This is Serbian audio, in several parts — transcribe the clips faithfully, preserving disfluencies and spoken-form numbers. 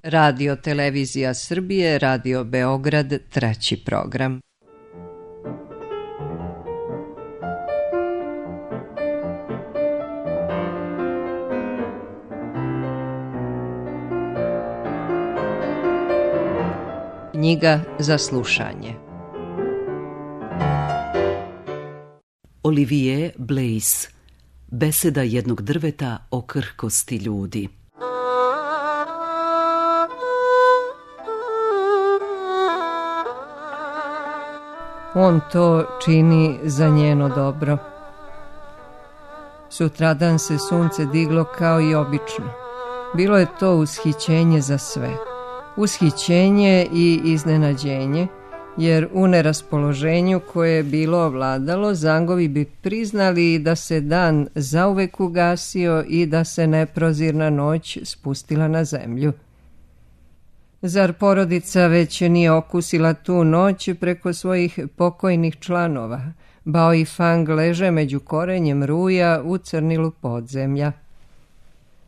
Radio Televizija Srbije, Radio Beograd, treći program. Knjiga za slušanje. Olivier Blaise, Beseda jednog drveta o krhkosti ljudi. On to čini za njeno dobro. Sutradan se sunce diglo kao i obično. Bilo je to ushićenje za sve. Ushićenje i iznenađenje, jer u neraspoloženju koje je bilo ovladalo, Zangovi bi priznali da se dan zauvek ugasio i da se neprozirna noć spustila na zemlju. Zar porodica već nije okusila tu noć preko svojih pokojnih članova? Bao i Fang leže među korenjem ruja u crnilu podzemlja.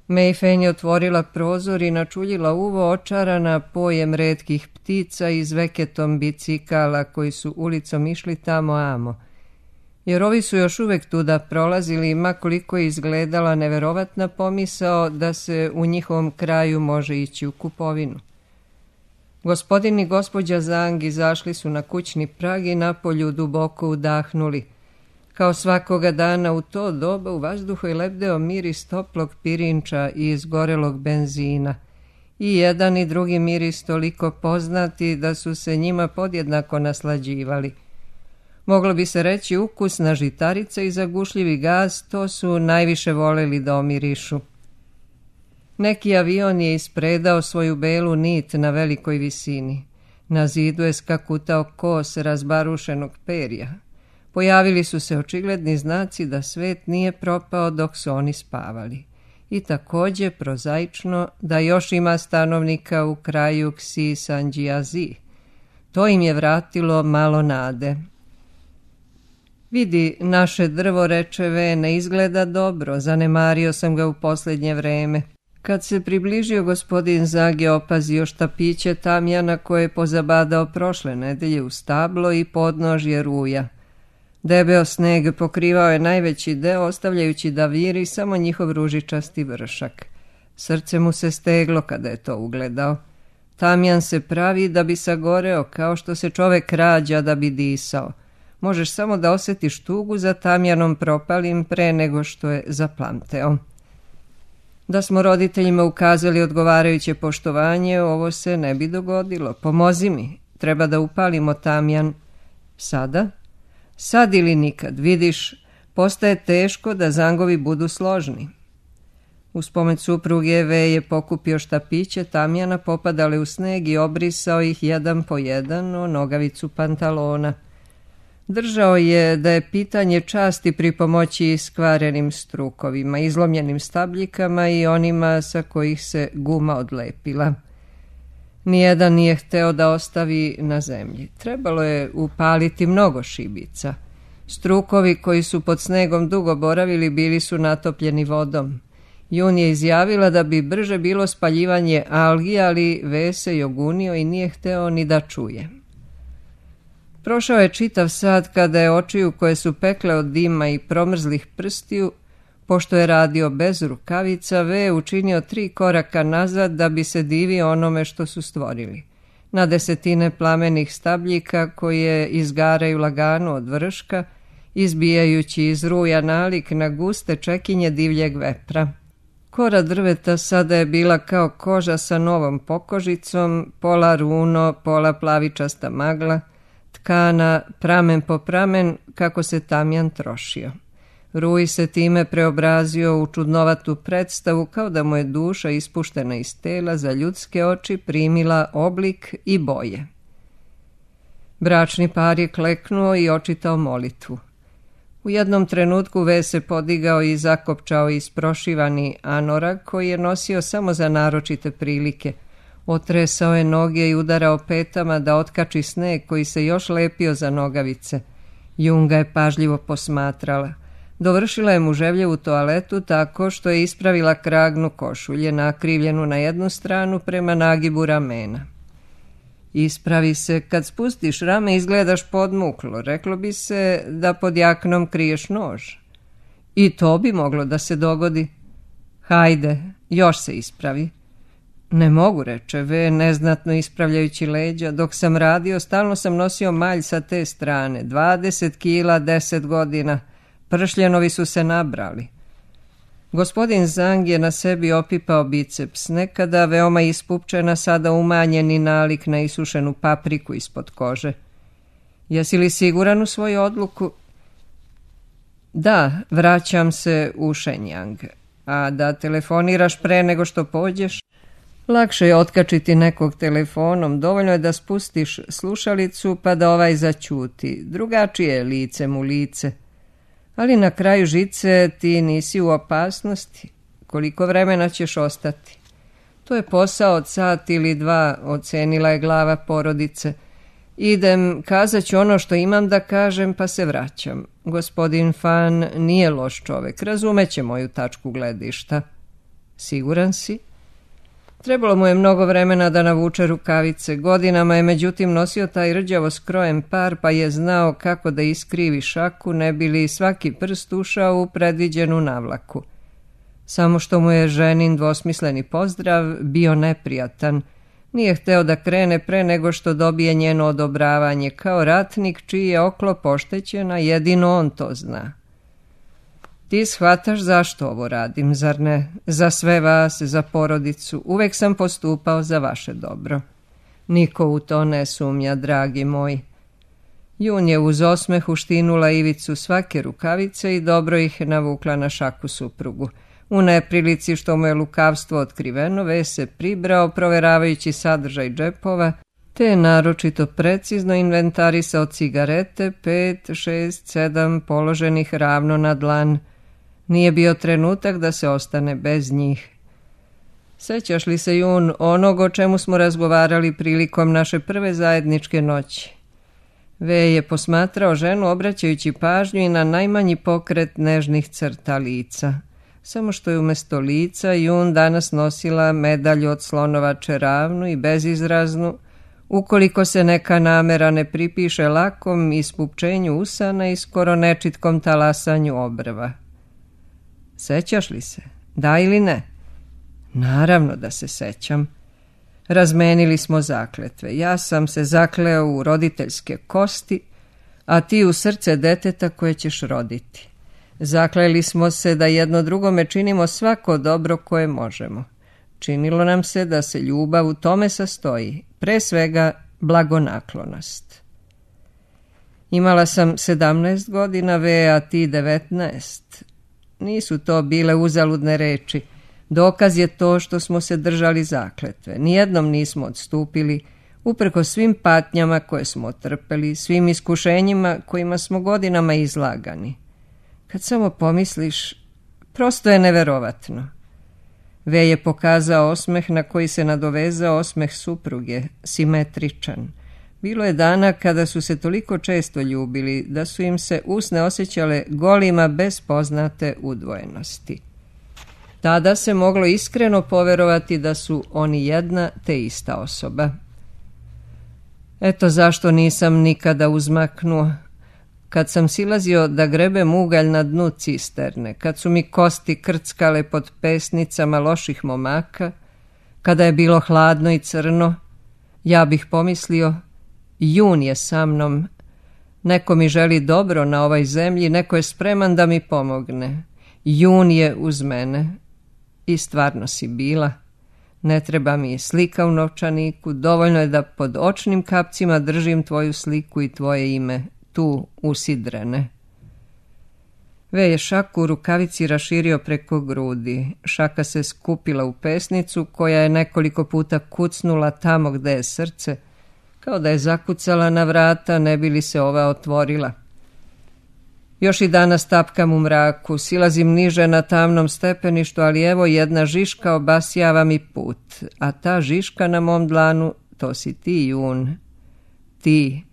Mei Fen je otvorila prozor i načuljila uvo očarana pojem retkih ptica i zveketom bicikala koji su ulicom išli tamo amo. Jer ovi su još uvek tuda prolazili, ma koliko je izgledala neverovatna pomisao da se u njihovom kraju može ići u kupovinu. Gospodin i gospođa Zang izašli su na kućni prag i napolju duboko udahnuli. Kao svakoga dana u to doba u vazduhu je lebdeo miris toplog pirinča i izgorelog benzina. I jedan i drugi miris toliko poznati da su se njima podjednako naslađivali. Moglo bi se reći ukusna žitarica i zagušljivi gaz, to su najviše voleli da omirišu. Neki avion je ispredao svoju belu nit na velikoj visini. Na zidu je skakutao kos razbarušenog perja. Pojavili su se očigledni znaci da svet nije propao dok su oni spavali. I također prozaično da još ima stanovnika u kraju Ksi Sanjiazi. To im je vratilo malo nade. Vidi, naše drvo, reče Ve, ne izgleda dobro, zanemario sam ga u posljednje vreme. Kad se približio, gospodin Zag je opazio štapiće tamjana koje je pozabadao prošle nedelje u stablo i podnožje ruja. Debeo sneg pokrivao je najveći deo, ostavljajući da viri samo njihov ružičasti vršak. Srce mu se steglo kada je to ugledao. Tamjan se pravi da bi sagoreo, kao što se čovek rađa da bi disao. Možeš samo da osjetiš tugu za tamjanom propalim pre nego što je zaplamteo. Da smo roditeljima ukazali odgovarajuće poštovanje, ovo se ne bi dogodilo. Pomozi mi, treba da upalimo tamjan. Sada? Sad ili nikad, vidiš, postaje teško da Zangovi budu složni. Uz pomoć supruge Ve je pokupio štapiće tamjana, popadale u sneg i obrisao ih jedan po jedan o nogavicu pantalona. Držao je da je pitanje časti pri pomoći iskvarenim strukovima, izlomljenim stabljikama i onima sa kojih se guma odlepila. Nijedan nije hteo da ostavi na zemlji. Trebalo je upaliti mnogo šibica. Strukovi koji su pod snegom dugo boravili bili su natopljeni vodom. Jun je izjavila da bi brže bilo spaljivanje algi, ali Ve se jogunio i nije hteo ni da čuje. Prošao je čitav sat kada je očiju koje su pekle od dima i promrzlih prstiju, pošto je radio bez rukavica, Ve učinio tri koraka nazad da bi se divio onome što su stvorili. Na desetine plamenih stabljika koje izgaraju lagano od vrška, izbijajući iz ruja nalik na guste čekinje divljeg vepra. Kora drveta sada je bila kao koža sa novom pokožicom, pola runo, pola plavičasta magla, tkana pramen po pramen kako se tamjan trošio. Ruj se time preobrazio u čudnovatu predstavu kao da mu je duša ispuštena iz tela za ljudske oči primila oblik i boje. Bračni par je kleknuo i očitao molitvu. U jednom trenutku Ve se podigao i zakopčao isprošivani anorak koji je nosio samo za naročite prilike. Otresao je noge i udarao petama da otkači sneg koji se još lepio za nogavice. Jun ga je pažljivo posmatrala. Dovršila je muževljevu toaletu tako što je ispravila kragnu košulje, nakrivljenu na jednu stranu prema nagibu ramena. Ispravi se, kad spustiš rame izgledaš podmuklo, reklo bi se da pod jaknom kriješ nož. I to bi moglo da se dogodi. Hajde, još se ispravi. Ne mogu, reče V, neznatno ispravljajući leđa. Dok sam radio, stalno sam nosio malj sa te strane. Dvadeset kila, deset godina. Pršljenovi su se nabrali. Gospodin Zang je na sebi opipao biceps, nekada veoma ispupčena, sada umanjeni nalik na isušenu papriku ispod kože. Jesi li siguran u svoju odluku? Da, vraćam se u Shenyang. A da telefoniraš pre nego što pođeš? Lakše je otkačiti nekog telefonom, dovoljno je da spustiš slušalicu pa da ovaj zaćuti. Drugačije je licem u lice. Ali na kraju žice ti nisi u opasnosti. Koliko vremena ćeš ostati? To je posao od sat ili dva, ocenila je glava porodice. Idem, kazat ću ono što imam da kažem, pa se vraćam. Gospodin Fan nije loš čovek, razumeće moju tačku gledišta. Siguran si? Trebalo mu je mnogo vremena da navuče rukavice. Godinama je međutim nosio taj rđavo skrojen par, pa je znao kako da iskrivi šaku, ne bi li svaki prst ušao u predviđenu navlaku. Samo što mu je ženin dvosmisleni pozdrav bio neprijatan. Nije hteo da krene pre nego što dobije njeno odobravanje, kao ratnik čiji je oklop oštećen, a jedino on to zna. Ti shvataš zašto ovo radim, zar ne? Za sve vas, za porodicu. Uvek sam postupao za vaše dobro. Niko u to ne sumnja, dragi moj. Jun je uz osmeh uštinula ivicu svake rukavice i dobro ih navukla na šaku suprugu. U neprilici što mu je lukavstvo otkriveno, V se pribrao, proveravajući sadržaj džepova, te je naročito precizno inventarisao cigarete, pet, šest, sedam položenih ravno na dlan. Nije bio trenutak da se ostane bez njih. Sećaš li se, Jun, onog o čemu smo razgovarali prilikom naše prve zajedničke noći? V je posmatrao ženu obraćajući pažnju i na najmanji pokret nežnih crta lica. Samo što je umjesto lica Jun danas nosila medalju od slonovače, ravnu i bezizraznu, ukoliko se neka namera ne pripiše lakom ispupčenju usana i skoro nečitkom talasanju obrva. Sećaš li se? Da ili ne? Naravno da se sećam. Razmenili smo zakletve. Ja sam se zakleo u roditeljske kosti, a ti u srce deteta koje ćeš roditi. Zakleli smo se da jedno drugome činimo svako dobro koje možemo. Činilo nam se da se ljubav u tome sastoji, pre svega blagonaklonost. Imala sam sedamnaest godina, V, a ti devetnaest. Nisu to bile uzaludne reči. Dokaz je to što smo se držali zakletve. Nijednom nismo odstupili, uprkos svim patnjama koje smo trpeli, svim iskušenjima kojima smo godinama izlagani. Kad samo pomisliš, prosto je neverovatno. V je pokazao osmeh na koji se nadovezao osmeh supruge, simetričan. Bilo je dana kada su se toliko često ljubili da su im se usne osjećale golima bez poznate udvojenosti. Tada se moglo iskreno poverovati da su oni jedna te ista osoba. Eto zašto nisam nikada uzmaknuo. Kad sam silazio da grebem ugalj na dnu cisterne, kad su mi kosti krckale pod pesnicama loših momaka, kada je bilo hladno i crno, ja bih pomislio, Jun je sa mnom, neko mi želi dobro na ovoj zemlji, neko je spreman da mi pomogne. Jun je uz mene. I stvarno si bila. Ne treba mi slika u novčaniku, dovoljno je da pod očnim kapcima držim tvoju sliku i tvoje ime, tu usidrene. V je šaku u rukavici raširio preko grudi. Šaka se skupila u pesnicu koja je nekoliko puta kucnula tamo gde je srce, kao da je zakucala na vrata, ne bi li se ova otvorila. Još i danas tapkam u mraku, silazim niže na tamnom stepeništu, ali evo jedna žiška obasjava mi put, a ta žiška na mom dlanu, to si ti, Jun. Ti.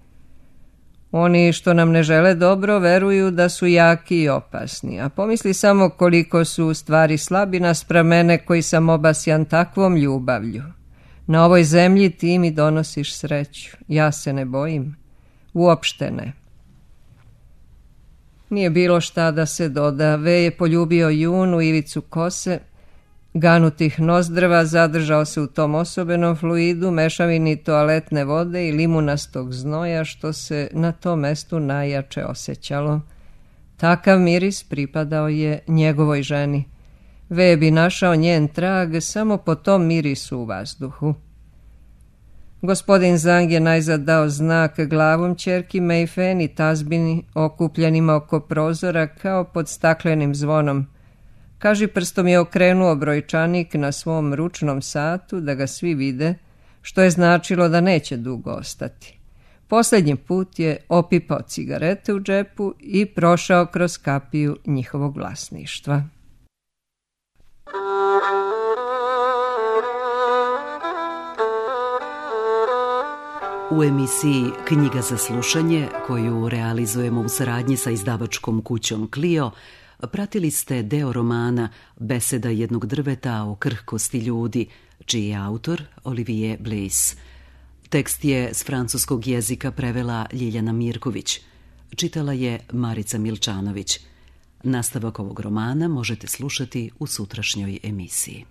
Oni što nam ne žele dobro veruju da su jaki i opasni, a pomisli samo koliko su u stvari slabi naspram mene koji sam obasjan takvom ljubavlju. Na ovoj zemlji ti mi donosiš sreću, ja se ne bojim, uopšte ne. Nije bilo šta da se doda, Ve je poljubio junu ivicu kose, ganutih nozdrva, zadržao se u tom osobenom fluidu, mešavini toaletne vode i limunastog znoja što se na tom mestu najjače osjećalo. Takav miris pripadao je njegovoj ženi. Ve bi našao njen trag samo po tom mirisu u vazduhu. Gospodin Zang je najzad dao znak glavom ćerki Mei Fen i tazbini okupljenima oko prozora kao pod staklenim zvonom. Kaži prstom je okrenuo brojčanik na svom ručnom satu da ga svi vide, što je značilo da neće dugo ostati. Posljednji put je opipao cigarete u džepu i prošao kroz kapiju njihovog vlasništva. U emisiji Knjiga za slušanje, koju realizujemo u saradnji sa izdavačkom kućom Clio, pratili ste deo romana Beseda jednog drveta o krhkosti ljudi, čiji je autor Olivier Bleys. Tekst je s francuskog jezika prevela Ljiljana Mirković. Čitala je Marica Milčanović. Nastavak ovog romana možete slušati u sutrašnjoj emisiji.